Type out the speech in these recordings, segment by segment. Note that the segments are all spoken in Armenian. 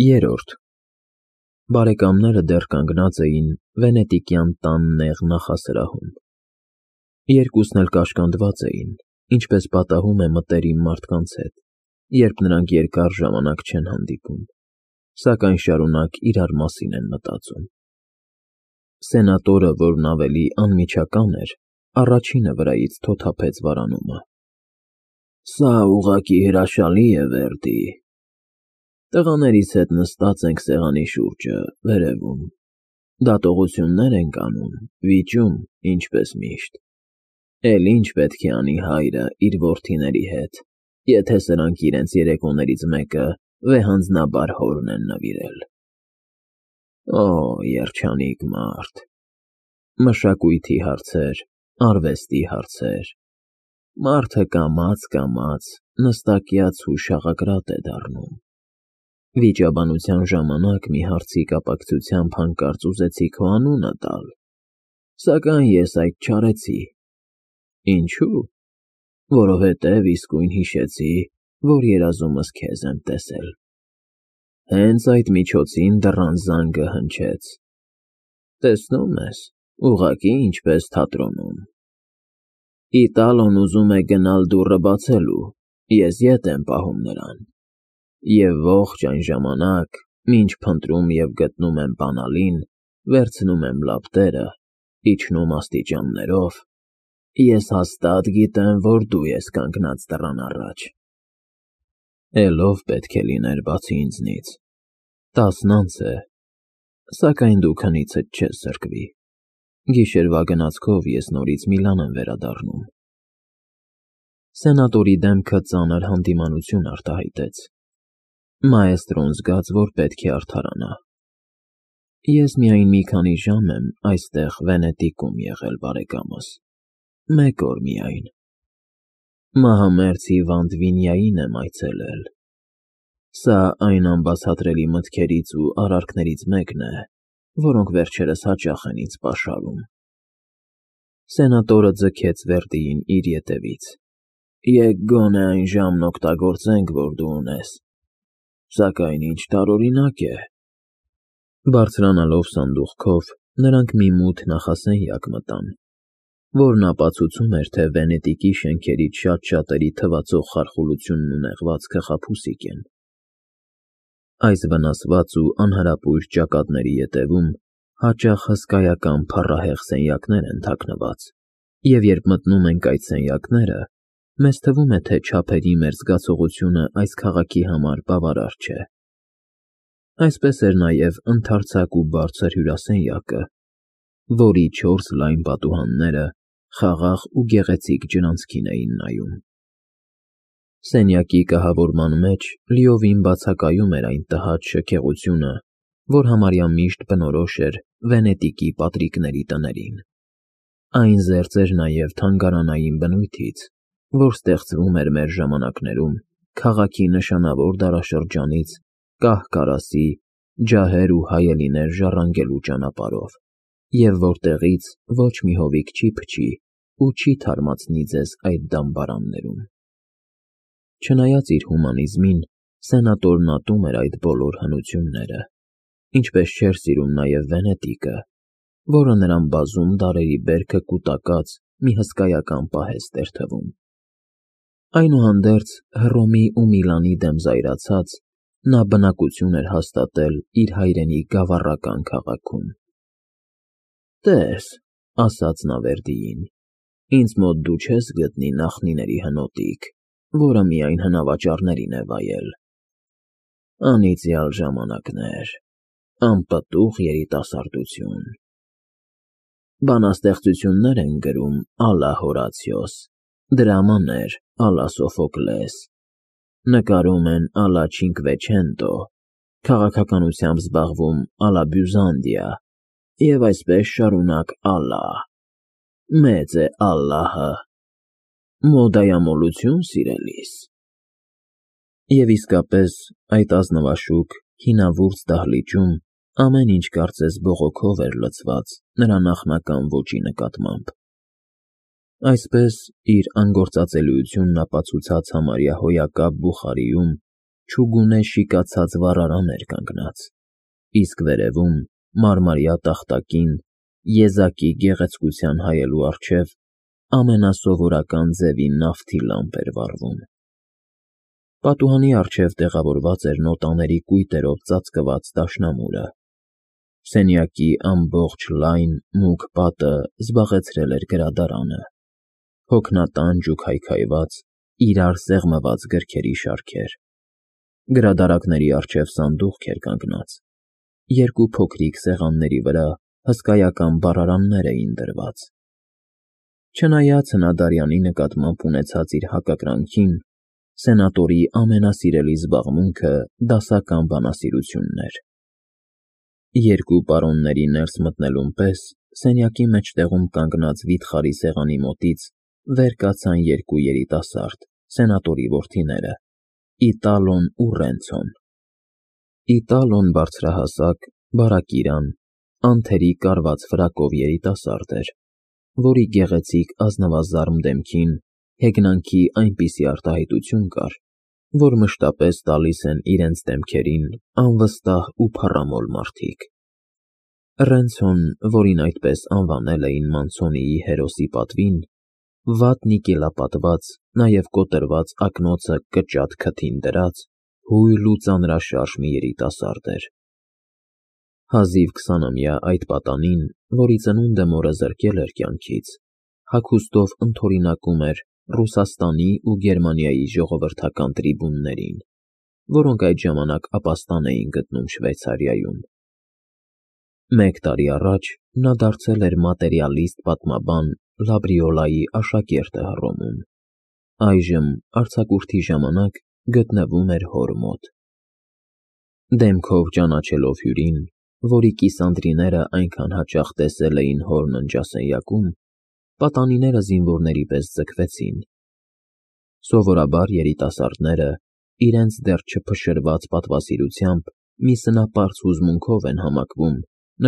Երրորդ Բարեկամները դեռ կանգնած էին վենետիկյան տան նեղ նախասրահում։ Երկուսն էլ կաշկանդված էին, ինչպես պատահում է մտերիմ մարդկանց հետ, երբ նրանք երկար ժամանակ չեն հանդիպում, սակայն շարունակ իրար մասին են մտածում։ Սենատորը, որն ավելի անմիջական էր, առաջինը վրայից թոթափեց վարանումը։ Սա ուղղակի հրաշալի է, Վերդի։ Տղաներիս հետ նստած ենք սեղանի շուրջը, վերևում, դատողություններ ենք անում, վիճում, ինչպես միշտ։ Էլ ինչ պետք է անի հայրը իր որդիների հետ, եթե սրանք իրենց երեկոներից մեկը վեհանձնաբար հորն են նվիրել։ Օ, երջանիկ մարդ։ Մշակույթի հարցեր, արվեստի հարցեր։ Մարդը կամաց նստակյաց ու շաղակրատ է դառնում։ Վիճաբանության ժամանակ մի հարցի կապակցությամբ հանկարծ ուզեցի քո անունը տալ, սակայն ես այդ չարեցի։ Ինչու՞։ Որովհետև իսկույն հիշեցի, որ երազումս քեզ եմ տեսել։ Հենց այդ միջոցին դռան զանգը հնչեց։ Տեսնում ես, ուղղակի ինչպես թատրոնում։ Իտալոն ուզում է գնալ դուռը բացելու, ես ետ եմ պահում նրան։ Եվ ողջ այն ժամանակ, մինչ փնտրում և գտնում եմ բանալին, վերցնում եմ լապտերը, իջնում աստիճաններով, ես հաստատ գիտեմ, որ դու ես կանգնած դռան առաջ։ Էլ ով պետք է լիներ բացի ինձնից։ 10 անց է, սակայն դու քնիցդ չես զրկվի։ Գիշերվա գնացքով ես նորից Միլան եմ վերադառնում։ Սենատորի դեմքը ծանր հանդիմանություն արտահայտեց։ Մաեստրոն զգաց, որ պետք է արդարանա։ Ես միայն մի քանի ժամ եմ այստեղ Վենետիկում եղել, բարեկամս։ 1 օր միայն։ Մահամերձ հիվանդ Վինյային եմ այցելել։ Սա այն անբացատրելի մտքերից ու արարքներից մեկն է, որոնք վերջերս հաճախ են ինձ պաշարում։ Սենատորը ձգեց Վերդիին իր ետևից։ Եկ գոնե այն ժամն օգտագործենք, որ դու ունես։ Սակայն ինչ տարօրինակ է։ Բարձրանալով սանդուղքով, նրանք մի մութ նախասենյակ մտան, որն ապացուցում էր, թե Վենետիկի շենքերից շատ-շատերի թվացող խարխուլությունն ու նեղվածքը խաբուսիկ են։ Այս վնասված ու անհարապույր ճակատների ետևում հաճախ հսկայական փառահեղ սենյակներ են թաքնված, և երբ մտնում ենք այդ սենյակները, մեզ թվում է, թե չափերի մեր զգացողությունը այս քաղաքի համար բավարար չէ։ Այսպես էր նաև ընդարձակ ու բարձր հյուրասենյակը, որի 4 լայն պատուհանները խաղաղ ու գեղեցիկ ջրանցքին էին նայում։ Սենյակի կահավորման մեջ լիովին բացակայում էր այն տհաճ շքեղությունը, որ համարյա միշտ բնորոշ էր Վենետիկի պատրիկների տներին։ Այն զերծ էր նաև թանգարանային բնույթից, որ ստեղծվում էր մեր ժամանակներում քաղաքի նշանավոր դարաշրջանից կահ֊կարասի, ջահեր ու հայելիներ ժառանգելու ճանապարհով, և որտեղից ոչ մի հովիկ չի փչի ու չի թարմացնի ձեզ այդ դամբարաններում։ Չնայած իր հումանիզմին, սենատորն ատում էր այդ բոլոր հնությունները, ինչպես չէր սիրում նաև Վենետիկը, որը նրան բազում դարերի բերքը կուտակած մի հսկայական պահեստ էր թվում։ Այնուհանդերձ, Հռոմի ու Միլանի դեմ զայրացած, նա բնակություն էր հաստատել իր հայրենի գավառական քաղաքում։ Տես, ասաց նա Վերդիին, ինձ մոտ դու չես գտնի նախնիների հնոտիկ, որը միայն հնավաճառներին է վայել։ Անիծյալ ժամանակներ, անպտուղ երիտասարդություն։ Բանաստեղծություններ են գրում ալա Հորացիոս, դրամաներ ալա Սոֆոկլես, նկարում են ալա Չինկվեչենտո, քաղաքականությամբ զբաղվում ալա Բյուզանդիա, և այսպես շարունակ ալա։ Մեծ է Ալլահը։ Մոդայամոլություն, սիրելիս։ Եվ իսկապես, այդ ազնվաշուք, հինավուրց դահլիճում ամեն ինչ կարծես բողոքով էր լցված նրա նախնական ոճի նկատմամբ։ Այսպես, իր անգործածելիությունն ապացուցած համարյա հոյակապ բուխարիում, չուգունե շիկացած վառարան էր կանգնած, իսկ վերևում, մարմարյա տախտակին, եզակի գեղեցկության հայելու առջև ամենասովորական ձևի նավթի լամպ էր վառվում։ Պատուհանի առջև տեղավորված էր նոտաների կույտերով ծածկված դաշնամուրը։ Սենյակի ամբողջ լայն, մուգ պատը զբաղեցրել էր գրադարանը, հոգնատանջ ու քայքայված, իրար սեղմված գրքերի շարքեր։ Գրադարակների առջև սանդուղք էր կանգնած, երկու փոքրիկ սեղանների վրա հսկայական բառարաններ էին դրված։ Չնայած հնադարյանի նկատմամբ ունեցած իր հակակրանքին, սենատորի ամենասիրելի զբաղմունքը դասական բանասիրությունն էր։ Երկու պարոնների ներս մտնելուն պես սենյակի մեջտեղում կանգնած վիթխարի սեղանի մոտից վեր կացան երկու երիտասարդ, սենատորի որդիները՝ Իտալոն ու Ռենցոն։ Իտալոն բարձրահասակ, բարակիրան, անթերի կարված ֆրակով երիտասարդ էր, որի գեղեցիկ ազնվազարմ դեմքին հեգնանքի այնպիսի արտահայտություն կար, որ մշտապես տալիս են իրենց դեմքերին անվստահ ու փառամոլ մարդիկ։ Ռենցոն, որին այդպես անվանել էին Մանցոնիի հերոսի պատվին, վատ նիկելապատված, նաև կոտրված ակնոցը կճատ քթին դրած, հույլ ու ծանրաշարժ մի երիտասարդ էր։ Հազիվ 20-ամյա այդ պատանին, որի ծնունդը մորը զրկել էր կյանքից, հագուստով ընդօրինակում էր Ռուսաստանի ու Գերմանիայի ժողովրդական տրիբուններին, որոնք այդ ժամանակ ապաստան էին գտնում Շվեյցարիայում։ Մեկ տարի առաջ նա դարձել էր մատերիալիստ պատմաբան Լաբրիոլայի աշակերտը Հռոմում, այժմ արձակուրդի ժամանակ գտնվում էր հոր մոտ։ Դեմքով ճանաչելով հյուրին, որի կիսանդրիները այնքան հաճախ տեսել էին հոր ննջասենյակում, պատանիները զինվորների պես ձգվեցին։ Սովորաբար երիտասարդները իրենց դեռ չփշրված պատվասիրությամբ մի սնապարծ հուզմունքով են համակվում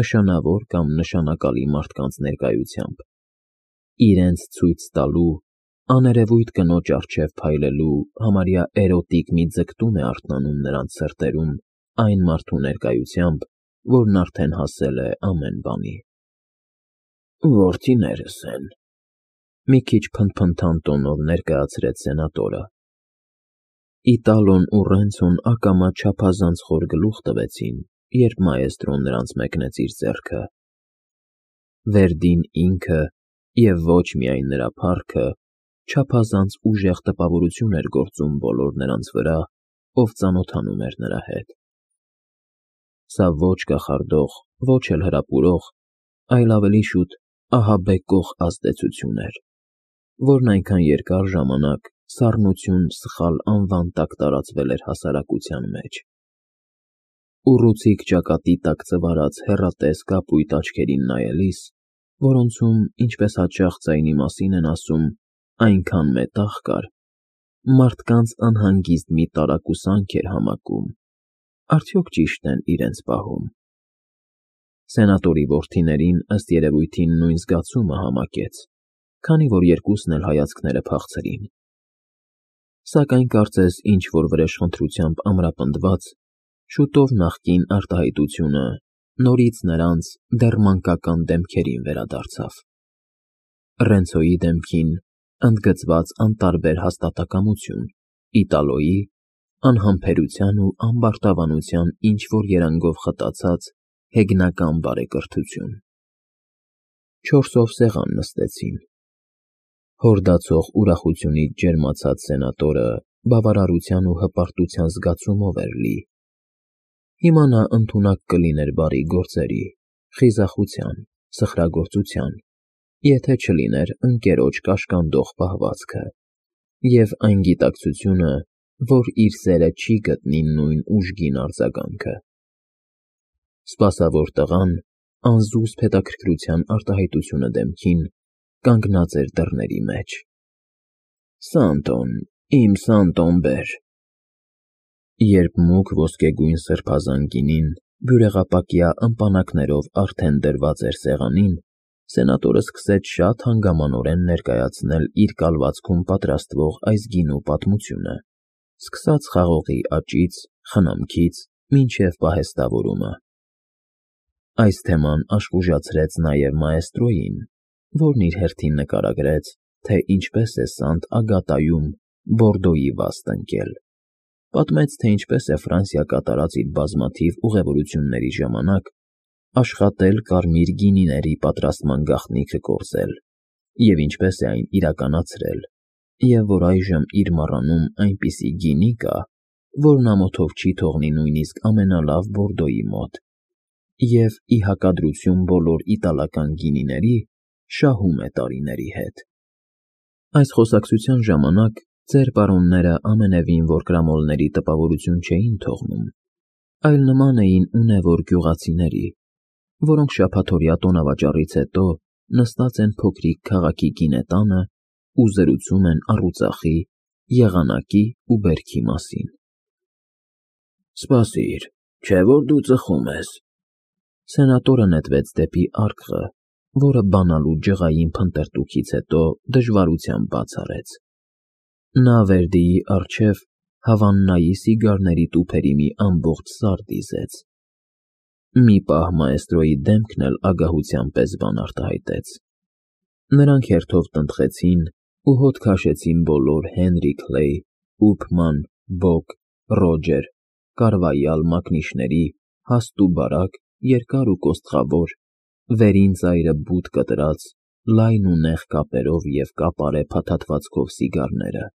նշանավոր կամ նշանակալի մարդկանց ներկայությամբ, իրենց ցույց տալու, աներևույթ կնոջ առջև փայլելու համարյա էրոտիկ մի ձգտում է արթնանում նրանց սրտերում այն մարդու ներկայությամբ, որն արդեն հասել է ամեն բանի։ Որդիներս են, մի քիչ փնթփնթան տոնով ներկայացրեց սենատորը։ Իտալոն ու Ռենցոն ակամա չափազանց խոր գլուխ տվեցին, երբ մաեստրոն նրանց մեկնեց իր ձեռքը։ Վերդին ինքը, և ոչ միայն նրա փառքը, չափազանց ուժեղ տպավորություն էր գործում բոլոր նրանց վրա, ով ծանոթանում էր նրա հետ։ Սա ոչ կախարդող, ոչ էլ հրապուրող, այլ ավելի շուտ ահաբեկող ազդեցություն էր, որն այնքան երկար ժամանակ սառնություն սխալ անվան տակ տարածվել էր հասարակության մեջ։ Ուռուցիկ ճակատի տակ ծվարած հեռատես կապույտ աչքերին նայելիս, որոնցում, ինչպես հաճախ ձայնի մասին են ասում, այնքան մետաղ կար, մարդկանց անհանգիստ մի տարակուսանք էր համակում, արդյոք ճիշտ են իրենց պահում։ Սենատորի որդիներին ըստ երևույթին նույն զգացումը համակեց, քանի որ երկուսն էլ հայացքները փախցրին։ Սակայն կարծես ինչ-որ վրեժխնդրությամբ ամրապնդված, շուտով նախկին արտահայտությունը նորից նրանց դեռ մանկական դեմքերին վերադարձավ։ Ռենցոյի դեմքին ընդգծված անտարբեր հաստատակամություն, Իտալոյի անհամբերության ու ամբարտավանության ինչ-որ երանգով խտացած հեգնական բարեկրթություն։ Չորսով սեղան նստեցին։ Հորդացող ուրախությունից ջերմացած սենատորը բավարարության ու հպարտության զգացումով էր լի։ Հիմա նա ընդունակ կլիներ բարի գործերի, խիզախության, սխրագործության, եթե չլիներ ընկերոջ կաշկանդող պահվածքը, և այն գիտակցությունը, որ իր սերը չի գտնի նույն ուժգին արձագանքը։ Սպասավոր տղան, անզուսպ հետաքրքրության արտահայտությունը դեմքին, կանգնած էր դռների մեջ։ Սանտոն, իմ Սանտոն բեր։ Երբ մուգ ոսկեգույն սրբազան գինին բյուրեղապակյա ըմպանակներով արդեն դրված էր սեղանին, սենատորը սկսեց շատ հանգամանորեն ներկայացնել իր կալվածքում պատրաստվող այս գինու պատմությունը, սկսած խաղողի աճից, խնամքից, մինչև պահեստավորումը։ Այս թեման աշխուժացրեց նաև մաեստրոյին, որն իր հերթին նկարագրեց, թե ինչպես է Սանտ Ագատայում Բորդոյի վաստ ընկել։ Պատմեց, թե ինչպես է Ֆրանսիա կատարած իր բազմաթիվ ուղևորությունների ժամանակ աշխատել կարմիր գինիների պատրաստման գաղտնիքը կորզել, և ինչպես է այն իրականացրել, և որ այժմ իր մառանում այնպիսի գինի կա, որն ամոթով չի թողնի նույնիսկ ամենալավ Բորդոյի մոտ, և ի հակադրություն բոլոր իտալական գինիների, շահում է տարիների հետ։ Այս խոսակցության ժամանակ ծեր պարոնները ամենևին որ կրամոլների տպավորություն չէին թողնում, այլ նման էին ունևոր գյուղացիների, որոնք շաբաթօրյա տոնավաճառից հետո նստած են փոքրիկ քաղաքի գինետանը ու զրուցում են առուծախի, եղանակի ու բերքի մասին։ Սպասիր, չէ՞ որ դու ծխում ես։ Սենատորը նետվեց դեպի արկղը, որը բանալու ջղային փնտրտուքից հետո դժվարությամբ բաց արեց։ Նա Վերդիի առջև Հավաննայի սիգարների տուփերի մի ամբողջ սար դիզեց։ Մի պահ մաեստրոյի դեմքն էլ ագահության պես բան արտահայտեց։ Նրանք հերթով տնտղեցին ու հոտ քաշեցին բոլոր Հենրի Քլեյ, Ուփման, Բոկ, Ռոջեր, Կարվայալ մակնիշների հաստ ու բարակ, երկար ու կոստղավոր, վերին ծայրը բութ կտրած, լայն ու նեղ կապերով և կապարե փաթաթվածքով սիգարները։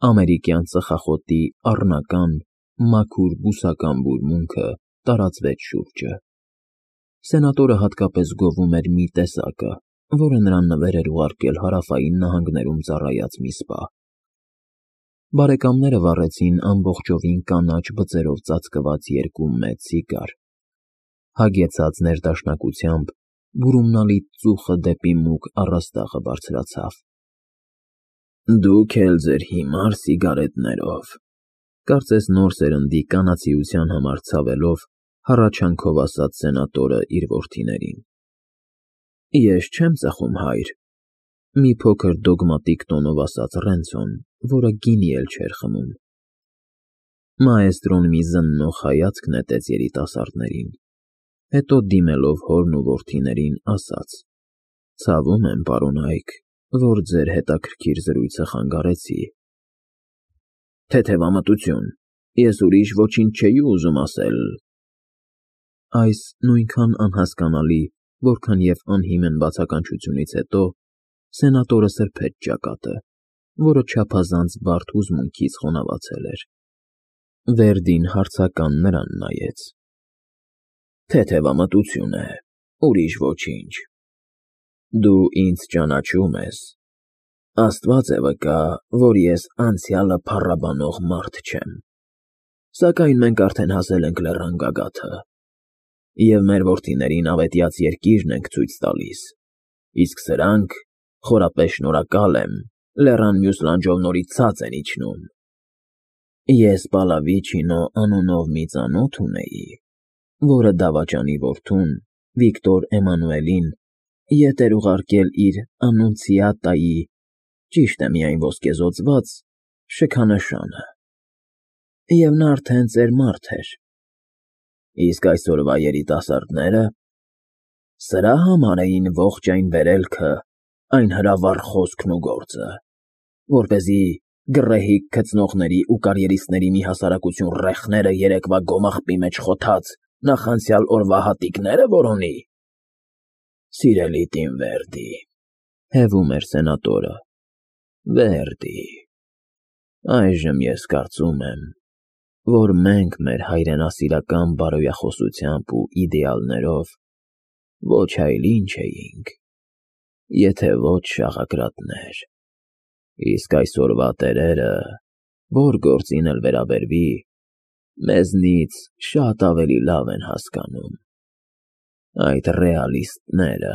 Ամերիկյան ծխախոտի առնական, մաքուր բուսական բուրմունքը տարածվեց շուրջը։ Սենատորը հատկապես գովում էր մի տեսակը, որը նրան նվեր էր ուղարկել հարավային նահանգներում ծառայած մի սպա։ Բարեկամները վառեցին ամբողջովին կանաչ բծերով ծածկված երկու մեծ սիգար։ Հագեցած ներդաշնակությամբ բուրումնալի ծուխը դեպի մուգ առաստաղը բարձրացավ։ Դուք էլ ձեր հիմար սիգարետներով, կարծես նոր սերնդի կանացիության համար ցավելով, հառաչանքով ասաց սենատորը իր որդիներին։ Ես չեմ ծխում, հայր, մի փոքր դոգմատիկ տոնով ասաց Ռենցոն, որը գինի էլ չէր խմում։ Մաեստրոն մի զննող հայացք նետեց երիտասարդներին, հետո դիմելով հորն ու որդիներին ասաց. Ցավում եմ, պարոնայք, որ ձեր հետաքրքիր զրույցը խանգարեցի։ Թեթևամտություն, ես ուրիշ ոչինչ չէի ուզում ասել։ Այս նույնքան անհասկանալի, որքան և անհիմն բացականչությունից հետո սենատորը սրբեց ճակատը, որը չափազանց բարդ հուզմունքից խոնավացել էր։ Վերդին հարցական նրան նայեց։ Թեթևամտություն է, ուրիշ ոչինչ։ Դու ինձ ճանաչում ես։ Աստված է վկա, որ ես անցյալը փառաբանող մարդ չեմ։ Սակայն մենք արդեն հասել ենք լեռան գագաթը, և մեր որդիներին ավետյաց երկիրն ենք ցույց տալիս, իսկ սրանք, խորապես շնորհակալ եմ, լեռան մյուս լանջով նորից ցած են իջնում։ Ես Պալավիչինո անունով մի ծանոթ ունեի, որը դավաճանի որդուն, Վիկտոր Էմանուելին, ետ էր ուղարկել իր Անունցիատայի, ճիշտ է միայն ոսկեզօծված, շքանշանը, և նա արդեն ծեր մարդ էր։ Իսկ այսօրվա երիտասարդները սրա համար էին ողջ այն վերելքը, այն հրավառ խոսքն ու գործը, որպեսզի գռեհիկ գծնողների ու կարիերիստների մի հասարակություն ռեխները երեկվա գոմաղբի մեջ խոթած նախանցյալ օրվա հատիկները որոնի։ Սիրելի տին Վերդի, հևում էր սենատորը, Վերդի, այժմ ես կարծում եմ, որ մենք մեր հայրենասիրական բարոյախոսությամբ ու իդեալներով ոչ այլ ինչ էինք, եթե ոչ շաղակրատներ, իսկ այսօրվա տերերը, որ գործին էլ վերաբերվի, մեզնից շատ ավելի լավ են հասկանում, այդ ռեալիստները։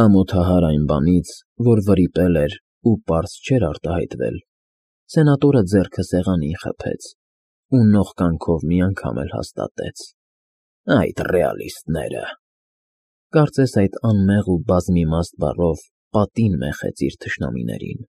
Ամոթահար այն բանից, որ վրիպել էր ու պարզ չէր արտահայտվել, սենատորը ձեռքը սեղանին խփեց ու նողկանքով մի անգամ էլ հաստատեց. Այդ ռեալիստները։ Կարծես այդ անմեղ ու բազմիմաստ բառով պատին մեխեց իր թշնամիներին։